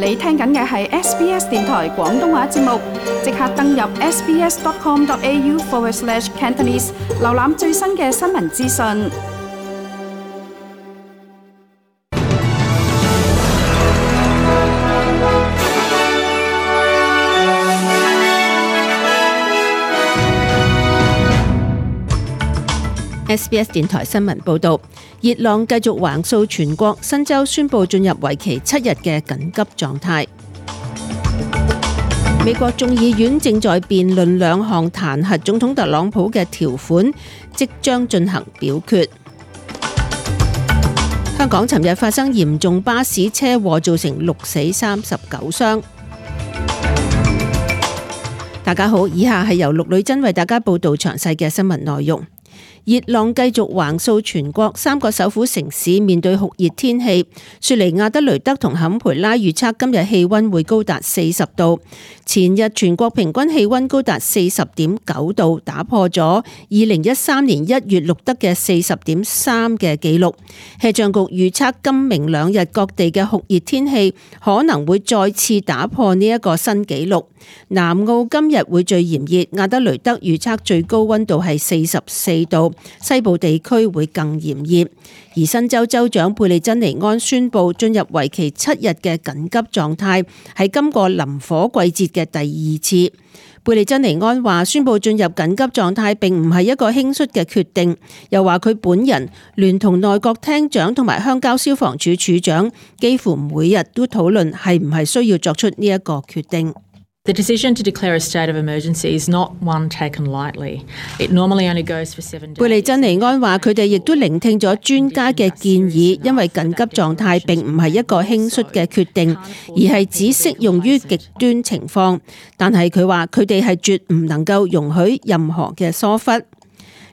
你聽緊嘅係 SBS 電台廣東話節目，即刻登入 sbs.com.au/Cantonese 瀏覽最新嘅新聞資訊。SBS 電台新聞報導，熱浪繼續橫掃全國，新州宣布進入為期7日嘅緊急狀態。美國眾議院正在辯論兩項彈劾總統特朗普嘅條款，即將進行表決。香港尋日發生嚴重巴士車禍，造成6死39傷。大家好，以下係由陸女珍為大家報導詳細嘅新聞內容。熱浪繼續橫掃全國，3個首府城市面對酷熱天氣。雪梨、亞德雷德同坎培拉預測今日氣溫會高達40度。前日全國平均氣溫高達40.9度，打破咗2013年1月錄得嘅40.3嘅紀錄。氣象局預測今明兩日各地嘅酷熱天氣可能會再次打破呢一個新紀錄。南澳今日會最炎熱，亞德雷德預測最高溫度係44度，西部地區會更炎熱。而新州州長貝利珍尼安宣布進入為期7日嘅緊急狀態，係今個臨火季節嘅第2次。貝利珍尼安話宣布進入緊急狀態並唔係一個輕率嘅決定，又話佢本人聯同內閣廳長同埋鄉郊消防處處長幾乎每日都討論係唔係需要作出呢一個決定。The decision to declare a state of emergency is not one taken lightly. It normally only goes for 7 days. 貝利珍尼安話佢哋亦都聆聽咗專家嘅建議，因為緊急狀態並唔係一個輕率嘅決定，而係只適用於極端情況。但係佢話佢哋係絕唔能夠容許任何嘅疏忽。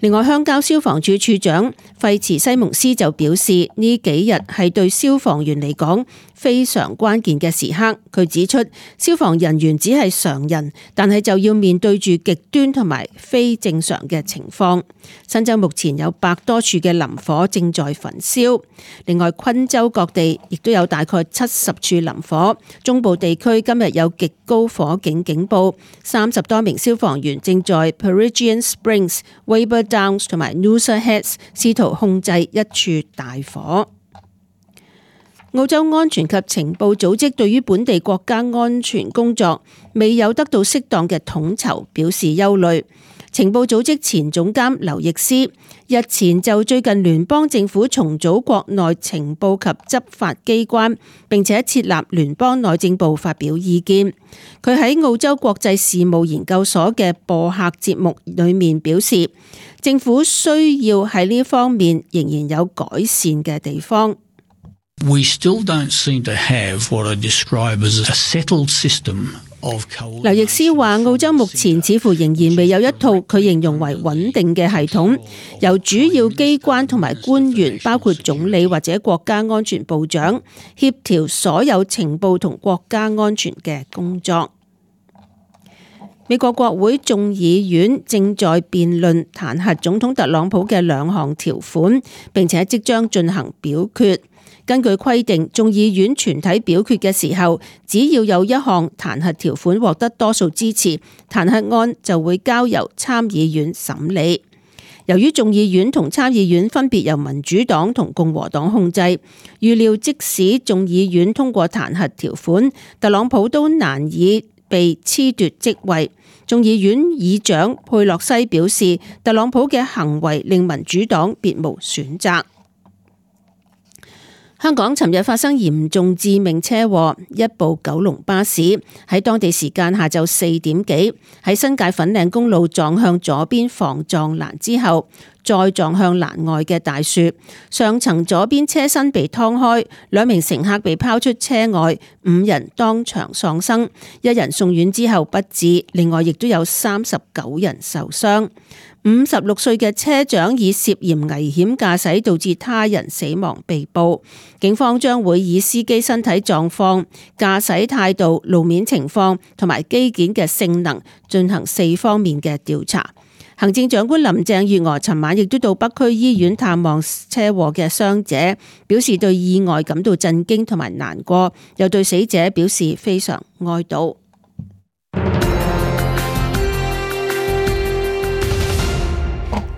另外，鄉郊消防處處長費茨西蒙斯就表示，呢幾日係對消防員嚟講非常關鍵嘅時刻。佢指出，消防人員只係常人，但係就要面對住極端同埋非正常嘅情況。新州目前有100多處嘅林火正在焚燒，另外昆州各地亦都有大概70處林火。中部地區今日有極高火警警報，30多名消防員正在 Peregian Springs、Weber Downs 同埋 Noosa Heads 試圖控制一處大火。澳洲安全及情報組織對於本地國家安全工作未有得到適當嘅統籌表示憂慮。情報組織前總監劉易斯日前就最近聯邦政府重組國內情報及執法機關，並且設立聯邦內政部發表意見。佢喺澳洲國際事務研究所嘅播客節目裏面表示，政府需要喺呢方面仍然有改善嘅地方。We still don't seem to have what I describe as a settled system of coalition. 劉易斯話，澳洲目前似乎仍然未有一套佢形容為穩定嘅系統，由主要機關同埋官員，包括總理或者國家安全部長，協調所有情報同國家安全嘅工作。美國國會眾議院正在辯論彈劾總統特朗普嘅2項條款，並且即將進行表決。根據規定，眾議院全體表決嘅時候，只要有一項彈劾條款獲得多數支持，彈劾案就會交由參議院審理。由於眾議院同參議院分別由民主黨同共和黨控制，預料即使眾議院通過彈劾條款，特朗普都難以被褫奪職位。眾議院議長佩洛西表示，特朗普嘅行為令民主黨別無選擇。香港尋日發生嚴重致命車禍，一部九龍巴士喺當地時間下晝4點幾喺新界粉嶺公路撞向左邊防撞欄之後，再撞向欄外嘅大樹，上層左邊車身被劏開，2名乘客被拋出車外，5人當場喪生，1人送院之後不治，另外亦都有39人受傷。56歲嘅車長以涉嫌危險駕駛導致他人死亡被捕，警方將會以司機身體狀況、駕駛態度、路面情況同埋機件嘅性能進行4方面嘅調查。行政長官林鄭月娥尋晚亦都到北區醫院探望車禍嘅傷者，表示對意外感到震驚同埋難過，又對死者表示非常哀悼。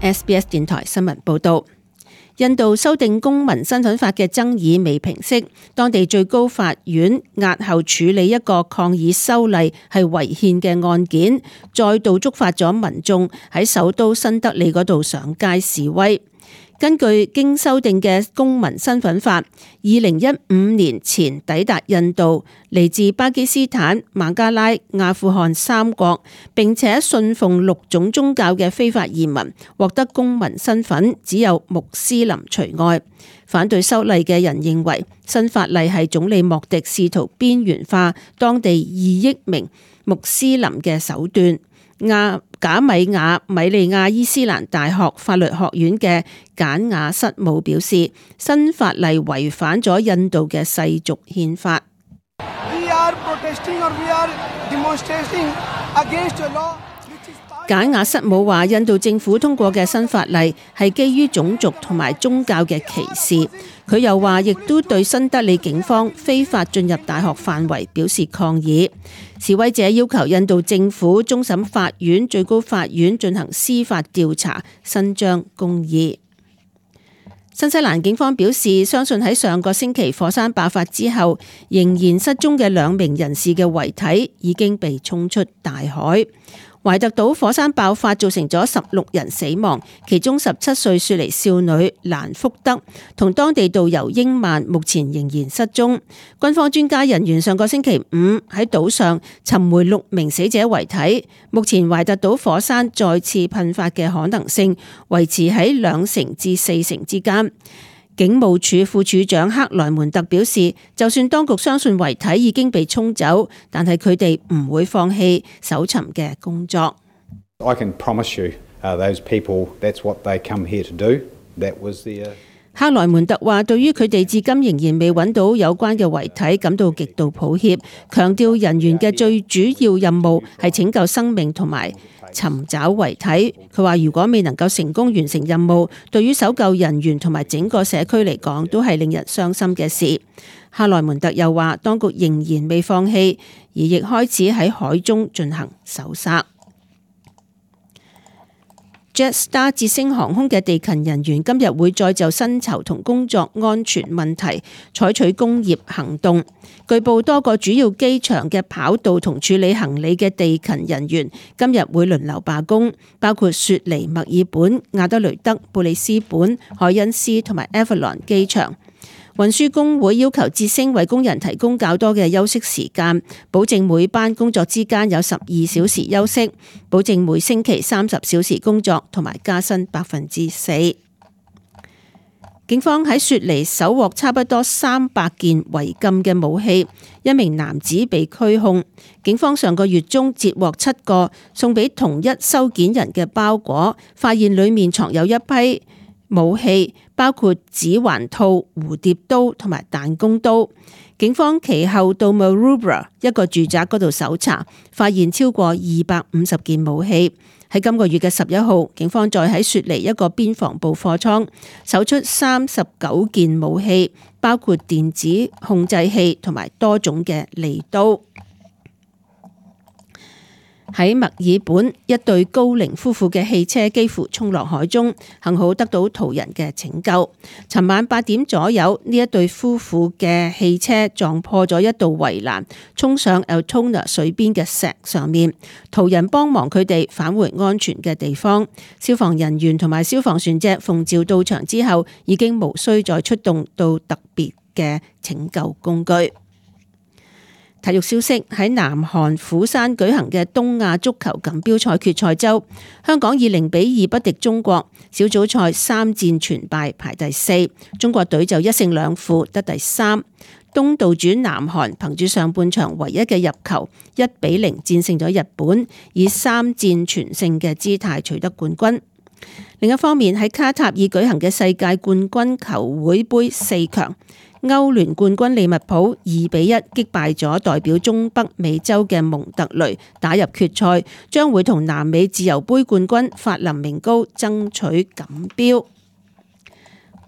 SBS 電台新聞報道。印度修訂公民身份法嘅爭議未平息，當地最高法院押後處理一個抗議修例係違憲嘅案件，再度觸發咗民眾喺首都新德里嗰度上街示威。根據經修訂嘅公民身份法，2015年前抵達印度嚟自巴基斯坦、孟加拉、阿富汗三國，並且信奉6種宗教嘅非法移民獲得公民身份，只有穆斯林除外。反對修例嘅人認為，新法例係總理莫迪試圖邊緣化當地2億名穆斯林嘅手段。賈米亞米利亞伊斯蘭大學法律學院嘅簡雅瑟姆表示，新法例違反咗印度嘅世俗憲法。簡雅瑟姆話，印度政府通過嘅新法例係基於種族同埋宗教嘅歧視。佢又話，亦都對新德里警方非法進入大學範圍表示抗議。示威者要求印度政府、終審法院、最高法院進行司法調查，伸張公義。新西蘭警方表示，相信喺上個星期火山爆發之後，仍然失蹤嘅2名人士嘅遺體已經被沖出大海。懷特島火山爆發造成咗16人死亡，其中17歲雪梨少女蘭福德同當地導遊英曼目前仍然失蹤。軍方專家人員上個星期5喺島上尋回6名死者遺體。目前懷特島火山再次噴發嘅可能性維持喺2成至4成之間。警務處副處長克萊門特表示，就算當局相信遺體已經被沖走，但係佢哋唔會放棄搜尋嘅工作。I can promise you, those people, that's what they come here to do. That was the 克萊門特話，對於佢哋至今仍然未揾到有關嘅遺體感到極度抱歉，強調人員嘅最主要任務係拯救生命同埋尋找遺體。佢話如果未能夠成功完成任務，對於搜救人員同埋整個社區嚟講都係令人傷心嘅事。克萊門特又話，當局仍然未放棄，而亦開始喺海中進行搜索。Jetstar 捷星航空嘅地勤人員今日會再就薪酬同工作安全問題採取工業行動。據報多個主要機場嘅跑道同處理行李嘅地勤人員今日會輪流罷工，包括雪梨、墨爾本、亞德雷德、布里斯本、海恩斯同埋 Avalon 機場。運輸工會要求捷星為工人提供較多嘅休息時間，保證每班工作之間有12小時休息，保證每星期30小時工作，同埋加薪4%。警方喺雪梨搜獲差不多300件違禁嘅武器，一名男子被拘控。警方上個月中截獲7個送俾同一收件人嘅包裹，發現裡面藏有一批武器，包括指環套、蝴蝶刀同埋彈弓刀。警方其後到 Maroubra 一個住宅嗰度搜查，發現超過250件武器。喺今個月嘅11號，警方再喺雪梨一個邊防部貨倉搜出39件武器，包括電子控制器同埋多種嘅利刀。喺墨爾本，一對高齡夫婦嘅汽車幾乎衝落海中，幸好得到途人嘅拯救。尋晚8點左右，呢一對夫婦嘅汽車撞破咗一道圍欄，衝上 Altona 水邊嘅石上面，途人幫忙佢哋返回安全嘅地方。消防人員同埋消防船隻奉召到場之後，已經無需再出動到特別嘅拯救工具。體育消息，喺南韓釜山舉行嘅東亞足球錦標賽決賽周，香港以0-2不敵中國，小組賽3戰全敗，排第4。中國隊就1勝2負得第3。東道主南韓憑住上半場唯一嘅入球1-0戰勝咗日本，以3戰全勝嘅姿態取得冠軍。另一方面，喺卡塔爾舉行嘅世界冠軍球會杯4強，歐聯冠軍利物浦2-1擊敗咗代表中北美洲嘅蒙特雷，打入決賽，將會同南美自由杯冠軍法林明高爭取錦標。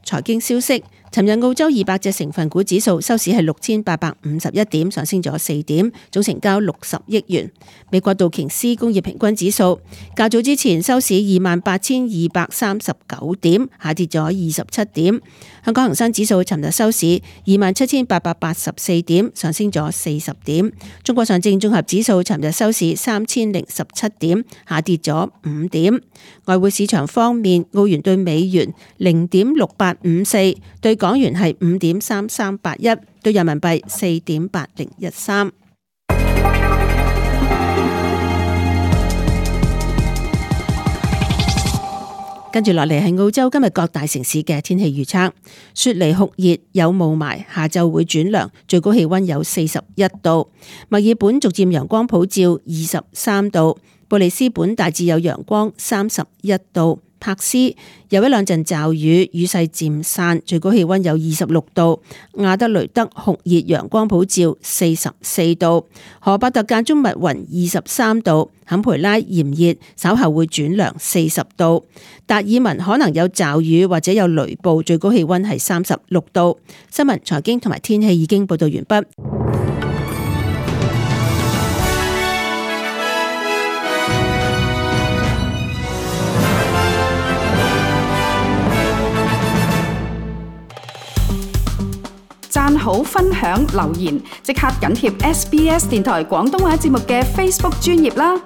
財經消息。尋日澳洲200隻成分股指數收市係6851點，上升咗4點，總成交60億元。美國道瓊斯工業平均指數較早之前收市28,239點，下跌咗27點。香港恒生指數尋日收市27,884點，上升咗40點。中國上證綜合指數尋日收市3017點，下跌咗5點。外匯市場方面，澳元對美元0.6854，對港元係5.3381，對人民幣4.8013。跟住落嚟係澳洲今日各大城市嘅天氣預測。雪梨酷熱有霧霾，下晝會轉涼，最高氣溫有41度。墨爾本逐漸陽光普照，23度。布里斯本大致有陽光，31度。柏斯有一兩陣驟雨，雨勢漸散，最高氣溫有26度。亞德雷德酷熱陽光普照，44度。荷伯特間中密雲，23度。坎培拉炎熱，稍後會轉涼，40度。達爾文可能有驟雨或者有雷暴，最高氣溫係36度。新聞、財經同埋天氣已經報道完畢。讚好、分享、留言，即刻緊貼SBS 電台廣東話節目嘅 Facebook 專頁啦！